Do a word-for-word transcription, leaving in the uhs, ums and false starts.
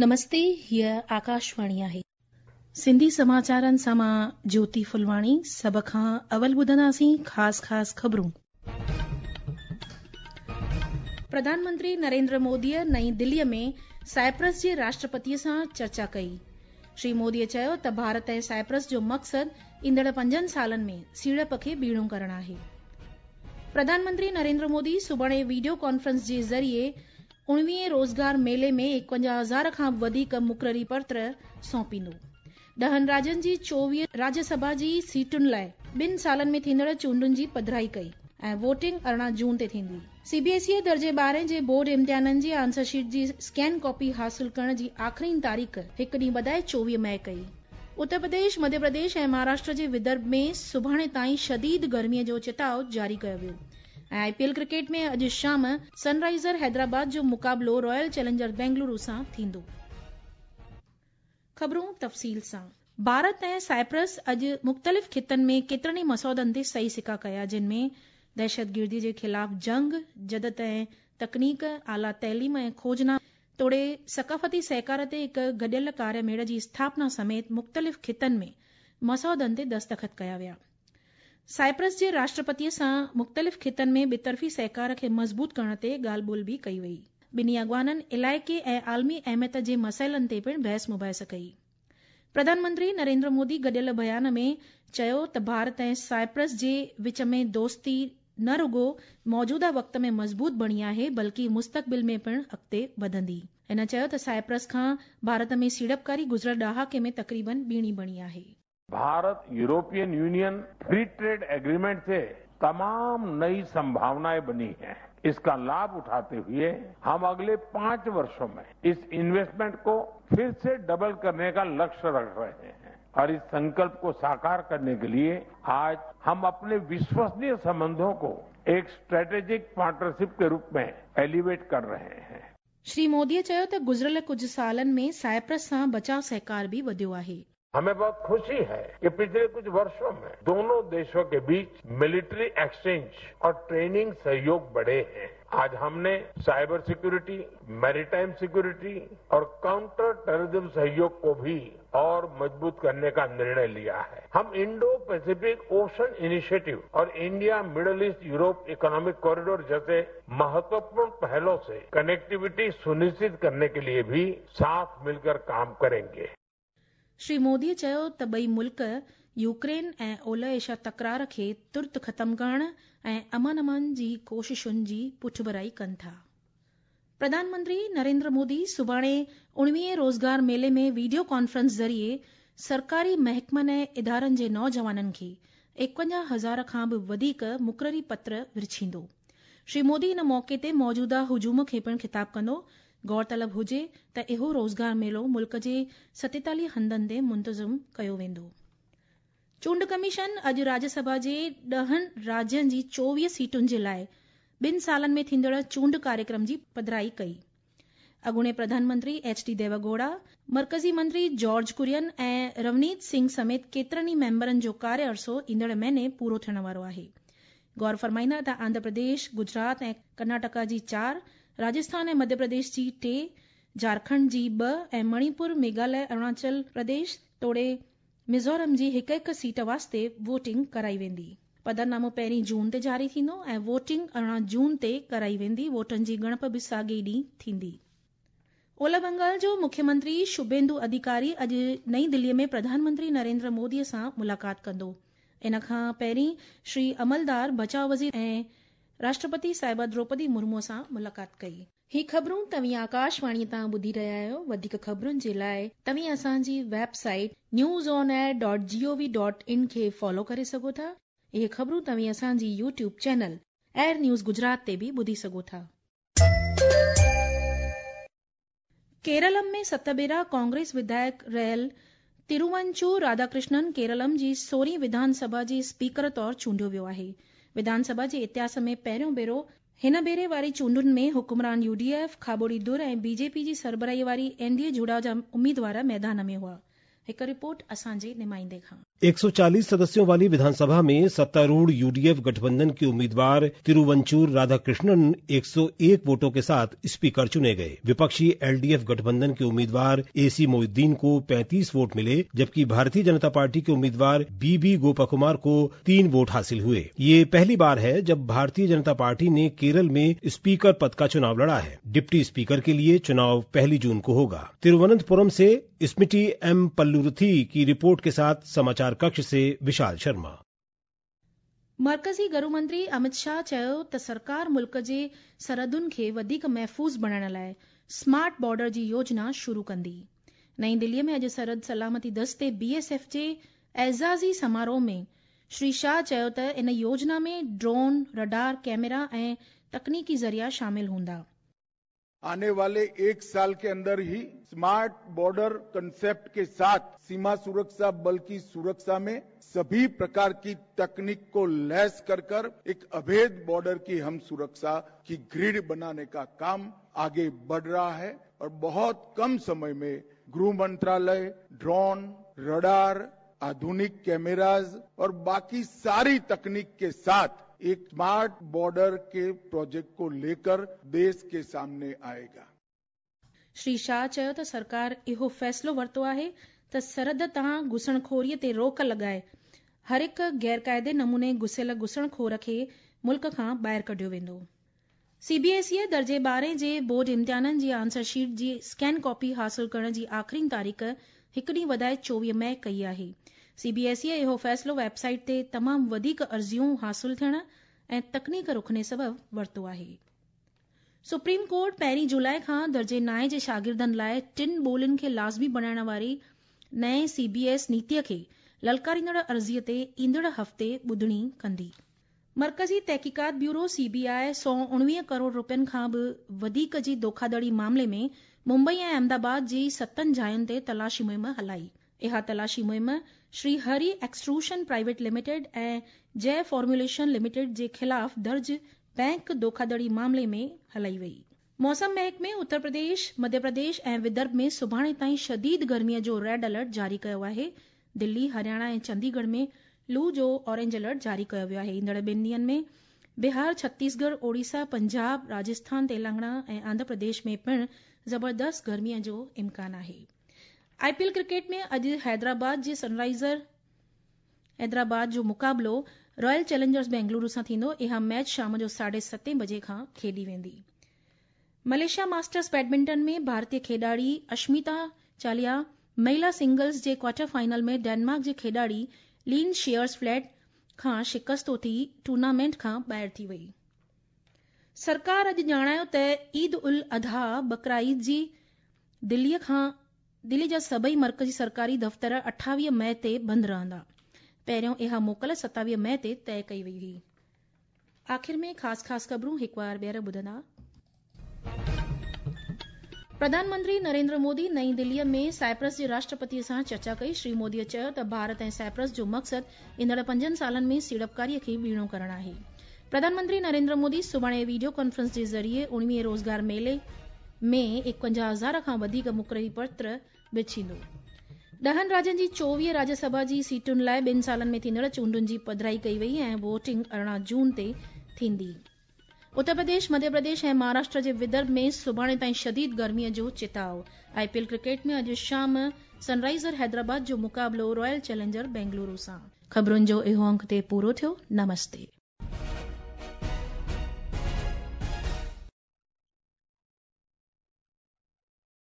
نمستي، هيء آڪاشواڻي آهي. سنڌي سماچارن سان مان جيوتي ڦلواڻي. سڀ کان اول ٻڌنداسين خاص خاص خبرون. پرڌان منتري نريندر موديء نئين دليء ۾ سائپرس جي راشٽرپتيء سان چرچا ڪئي. شري موديء چيو ته ڀارت ۽ سائپرس جو مقصد ايندڙ پنجن سالن ۾ سيڙپ کي ٻيڻو ڪرڻ آهي. پرڌان منتري نريندر مودي سڀاڻي وڊيو ڪانفرنس جي ذريعي اڻويهين روزگار ميلي ۾ ايڪونجاهه هزار کان به وڌيڪ مقرري پتر سونپيندو. ڏهن راجين جي چوويهه راجيه سڀا جي سيٽن لاء ٻن سالن ۾ ٿيندڙ چونڊن جي پڌرائي ڪئي ۽ ووٽنگ ارڙهن جون تي ٿيندي. سي بي ايس اي درجي ٻارهين جي بورڊ امتحانن جي آنسر شيٽ جي اسڪين ڪاپي حاصل ڪرڻ جي آخرين تاريخ هڪ ڏينهن وڌائي چوويهه مئي ڪئي. اتر پرديش، مڌيه پرديش ۽ مهاراشٽر جي ودرڀ ۾ سڀاڻي تائين شديد گرميء جو چتاء جاري ڪيو ويو ۽ آء پي ايل ڪرڪيٽ ۾ اڄ شام سن رائيزر حيدرآباد جو مقابلو رائل چئلينجر بينگلورو سان ٿيندو. خبرون تفصيل سان. ڀارت ۽ سائپرس اڄ مختلف خطن ۾ ڪيترن ئي مسودن تي صحيح سڪا ڪيا، جن ۾ دهشتگردي جي خلاف جنگ، جدت ۽ تڪنيڪ، اعليٰ تعليم ۽ کوجنا توڙي ثقافتي سهڪار تي هڪ گڏيل ڪاريه ميڙ جي اسٿاپنا سميت مختلف خطن ۾ مسودن تي دستخط ڪيا ويا. سائپرس جي راشٽرپتيء سان مختلف خطن ۾ ٻطرفي سهڪار کي مضبوط ڪرڻ تي ڳالهه ٻولهه به ڪئي وئي. ٻنهي اڳواڻن علائقي ۽ عالمي اهميت جي مسئلن تي پڻ بحث مباحث ڪئي. پرڌان منتري نريندر مودي گڏيل بيان ۾ چيو ته ڀارت ۽ سائپرس جي وچ ۾ دوستي نه رڳو موجوده وقت ۾ مضبوط بڻي آهي، بلڪه مستقبل ۾ پڻ اڳتي وڌندي. هن چيو ته سائپرس کان ڀارت ۾ سيڙپڪاري گذريل ڏهاڪي ۾ تقريبن ٻيڻي بڻي آهي. Bharat European Union free trade agreement से तमाम नई संभावनाएं बनी हैं। इसका लाभ उठाते हुए हम अगले पांच वर्षों में इस इन्वेस्टमेंट को फिर से डबल करने का लक्ष्य रख रहे हैं और इस संकल्प को साकार करने के लिए आज हम अपने विश्वसनीय संबंधों को एक स्ट्रेटेजिक पार्टनरशिप के रूप में एलिवेट कर रहे हैं। श्री मोदीअ चयो त गुज़िरियल कुझु सालनि में साइप्रस सां बचाव सहकार बि वधियो आहे। हमें बहुत खुशी है कि पिछले कुछ वर्षों में दोनों देशों के बीच मिलिट्री एक्सचेंज और ट्रेनिंग सहयोग बढ़े हैं। आज हमने साइबर सिक्योरिटी, मैरीटाइम सिक्योरिटी और काउंटर टेररिज्म सहयोग को भी और मजबूत करने का निर्णय लिया है। हम इंडो पैसिफिक ओशन इनिशिएटिव और India Middle East Europe economic corridor जैसे महत्वपूर्ण पहलों से कनेक्टिविटी सुनिश्चित करने के लिए भी साथ मिलकर काम करेंगे। श्री मोदीअ चयो त ٻئي मुल्क यूक्रेन ऐं ओलह एशिया तकरार खे तुर्त ख़तम करण ऐं अमन अमान जी कोशिशुनि जी पुठभराई कनि था। प्रधान मंत्री नरेंद्र मोदी सुभाणे उणिवीहें रोज़गार मेले में वीडियो कॉन्फ्रेंस ज़रिए सरकारी महकमनि ऐं इदारनि जे नौजवाननि खे एकवंजाह हज़ार खां बि वधीक मुक़ररी पत्र विरछींदो। श्री मोदी इन मौक़े ते मौजूदा हुजूम खे पिणु ख़िताब कंदो। गौरतलब हुजे त इहो रोज़गार मेलो मुल्क जे सतेतालीह हंधनि ते मुंतज़िम कयो वेंदो। चूंड कमीशन अॼु राज्यसभा जे ॾहनि राज्यनि जी चोवीह सीटुनि जे लाइ ॿिनि सालनि में थींदड़ चूंड कार्यक्रम जी पधराई कई। अॻूणे प्रधानमंत्री एच डी देवगौड़ा, मर्कज़ी मंत्री जॉर्ज कुरियन ऐं रवनीत सिंह समेत केतिरनि ई मेंबरनि जो कार्य अरसो ईंदड़ महीने पूरो थियण वारो आहे। गौर फरमाईंदा त आंध्र प्रदेश, गुजरात ऐं कर्नाटका जी चार, राजस्थान ऐं मध्य प्रदेश जी टे, झारखंड जी ॿ ऐं मणिपुर, मेघालय, अरुणाचल प्रदेश तोड़े मिज़ोरम जी हिकु हिकु सीट वास्ते वोटिंग कराई वेंदी। पधरनामो पहिरीं जून ते जारी थींदो ऐं वोटिंग अरिड़हं जून ते कराई वेंदी। वोटनि जी ॻणप बि साॻे ई ॾींहुं थींदी। ओलह बंगाल जो मुख्यमंत्री शुभेंदु अधिकारी अॼु नई दिल्लीअ में प्रधानमंत्री नरेंद्र मोदीअ सां मुलाक़ात कंदो। इन खां पहिरीं श्री अमलदार बचाव वज़ीर ऐं राष्ट्रपति साहिबा द्रौपदी मुर्मूअ सां मुलाक़ात कई। ही ख़बरूं तव्हीं आकाशवाणीअ तां ॿुधी रहिया आहियो। वधीक ख़बरुनि जे लाइ तव्हीं असांजी website news on air dot G O V dot in खे फॉलो करे सघो था। इहे ख़बरूं तव्हीं असांजी YouTube channel AIR news Gujarat ते बि ॿुधी सघो था। केरलम में सत भेरा कांग्रेस विधायक रहियल तिरुवंचूर राधाकृष्णन केरलम जी सोरहीं विधानसभा जे स्पीकर तौर चूंडियो वियो आहे। विधानसभा जे इतिहास में पहिरियों भेरो हिन भेरे वारी चूंडुनि में हुकुमरान यूडीएफ, खाबोड़ी धुर ऐं बीजेपी जी सरबराही वारी एनडीए जुड़ाव जा उम्मीदवार मैदान में हुआ। हिकु रिपोर्ट असांजे नुमाइंदे खां। एक सौ चालीस सदस्यों वाली विधानसभा में सत्तारूढ़ यूडीएफ गठबंधन के उम्मीदवार तिरुवंचूर राधाकृष्णन एक सौ एक वोटों के साथ स्पीकर चुने गए। विपक्षी एलडीएफ गठबंधन के उम्मीदवार एसी मोहिद्दीन को पैंतीस वोट मिले, जबकि भारतीय जनता पार्टी के उम्मीदवार बीबी गोपाकुमार को तीन वोट हासिल हुए। ये पहली बार है जब भारतीय जनता पार्टी ने केरल में स्पीकर पद का चुनाव लड़ा है। डिप्टी स्पीकर के लिए चुनाव पहली जून को होगा। तिरुवनंतपुरम से स्मृति एम पल्लुरुथी की रिपोर्ट के साथ समाचार कक्ष से विशाल शर्मा। मर्कज़ी गरू मंत्री अमित शाह चयो त सरकार मुल्क जे सरहदुनि खे वधीक महफ़ूज़ बणाइण लाइ स्मार्ट बॉर्डर जी योजना शुरू कंदी। नई दिल्लीअ में अॼु सरहद सलामती दस्ते बी एस एफ जे एज़ाज़ी समारोह में श्री शाह चयो त इन योजना में ड्रोन, रडार, कैमरा ऐं तकनीकी ज़रिया शामिल हूंदा। आने वाले एक साल के अंदर ही स्मार्ट बॉर्डर कंसेप्ट के साथ सीमा सुरक्षा बल की सुरक्षा में सभी प्रकार की तकनीक को लैस कर कर एक अभेद बॉर्डर की हम सुरक्षा की ग्रिड बनाने का काम आगे बढ़ रहा है और बहुत कम समय में गृह मंत्रालय ड्रोन, रडार, आधुनिक कैमराज और बाकी सारी तकनीक के साथ एक स्मार्ट बॉर्डर के प्रोजेक्ट को लेकर देश के सामने आएगा। श्री शाह चयो त सरकार इहो फैसलो वरितो आहे त सरहद तां घुसणखोरीअ ते रोक लॻाए हर हिकु गैर काइदे नमूने घुसियल घुसणखोर खे मुल्क खां ॿाहिरि कढियो वेंदो। सीबीएसई दर्जे ॿारहें जे बोर्ड इम्तिहाननि जी आंसर शीट जी स्कैन कॉपी हासिल करण जी आख़िरी तारीख़ हिकु ॾींहुं वधाए चोवीह मई कई आहे। सीबीएसई इहो फैसलो वेबसाइट ते तमामु वधीक अर्ज़ियूं हासिल थियण ऐं तकनीक रुकणे सबबि वरितो आहे। सुप्रीम कोर्ट पहिरीं जुलाई खां दर्जे नाए जे शागिर्दनि लाइ टिनि ॿोलियुनि खे लाज़मी बणाइण वारी नएं सीबीएस नीतीअ खे ललकारींदड़ अर्ज़ीअ ते ईंदड़ हफ़्ते ॿुधणी कंदी। मर्कज़ी तहक़ीक़ात ब्यूरो सीबीआई सौ उणिवीह करोड़ रुपयनि खां बि वधीक जी धोखाधड़ी मामले में मुंबई ऐं अहमदाबाद जी सतनि जायुनि ते तलाशी मुहिम हलाई। इहा तलाशी मुहिम Shri Hari extrusion private limited ऐं जय फॉर्मुलेशन लिमिटेड जे ख़िलाफ़ दर्ज बैंक धोखाधड़ी मामले में हलाई वई। मौसम महकमे उत्तर प्रदेश, मध्य प्रदेश ऐं विदर्भ में सुभाणे ताईं शदीद गर्मीअ जो रेड अलर्ट जारी कयो आहे। दिल्ली, हरियाणा ऐं चंडीगढ़ में लू जो ऑरेंज अलर्ट जारी कयो वियो आहे। ईंदड़ ॿिनि ॾींहंनि में बिहार, छत्तीसगढ़, ओडिशा, पंजाब, राजस्थान, तेलंगाना ऐं आंध्र प्रदेश में पिणु ज़बरदस्त गर्मीअ जो इम्कान आहे। आईपीएल क्रिकेट में अॼु हैदराबाद जे सनराइज़र हैदराबाद जो मुक़ाबिलो रॉयल चैलेंजर्स बेंगलुरु सां थींदो। इहा मैच शाम जो साढे सतें बजे खां खेॾी वेंदी। मलेशिया मास्टर्स बैडमिंटन में भारतीय खेॾाड़ी अश्मिता चालिया महिला सिंगल्स जे क्वार्टर फाइनल में डेनमार्क जे खेॾाड़ी लीन शेयर्स फ्लैट खां शिकस्तो थी टूर्नामेंट खां ॿाहिरि थी वई। सरकार अॼु ॼाणायो त ईद उल अधा बकरा ईद जी दिल्लीअ खां दिल्ली जा सभई मर्कज़ी सरकारी दफ़्तर अठावीह मई ते बंदि रहंदा। पहिरियों इहा मोकल सतावीह मई ते तय कई वई हुई। आख़िर में ख़ासि ख़ासि ख़बरूं हिकु वार ॿीहर ॿुधंदा। प्रधानमंत्री नरेंद्र मोदी नई दिल्लीअ में साइप्रस जे राष्ट्रपतीअ सां चर्चा कई। श्री मोदीअ चयो त भारत ऐं साइप्रस जो मक़सदु ईंदड़ पंजनि सालनि में सीड़पकारीअ खे ॿीणो करणु आहे। प्रधानमंत्री नरेंद्र मोदी सुभाणे वीडियो कॉन्फ्रेंस जे ज़रिए उणिवीह रोज़गार मेले में एकवंजाह हज़ार खां वधीक मुक़ररी पत्र विछींदो। ॾहनि राज्यनि जी चोवीह राज्यसभा जी सीटुनि लाइ ॿिनि सालनि में थींदड़ चूंडुनि जी पधराई कई वई ऐं वोटिंग अरिड़हं जून ते थींदी। उत्तर प्रदेश, मध्य प्रदेश ऐं महाराष्ट्र जे विदर्भ में सुभाणे ताईं शदीद गर्मीअ जो चिताव। आईपीएल क्रिकेट में अॼु शाम सनराइज़र हैदराबाद जो मुक़ाबिलो रॉयल चैलेंजर बेंगलुरु सां। ख़बरुनि जो इहो अंक ते पूरो थियो। नमस्ते।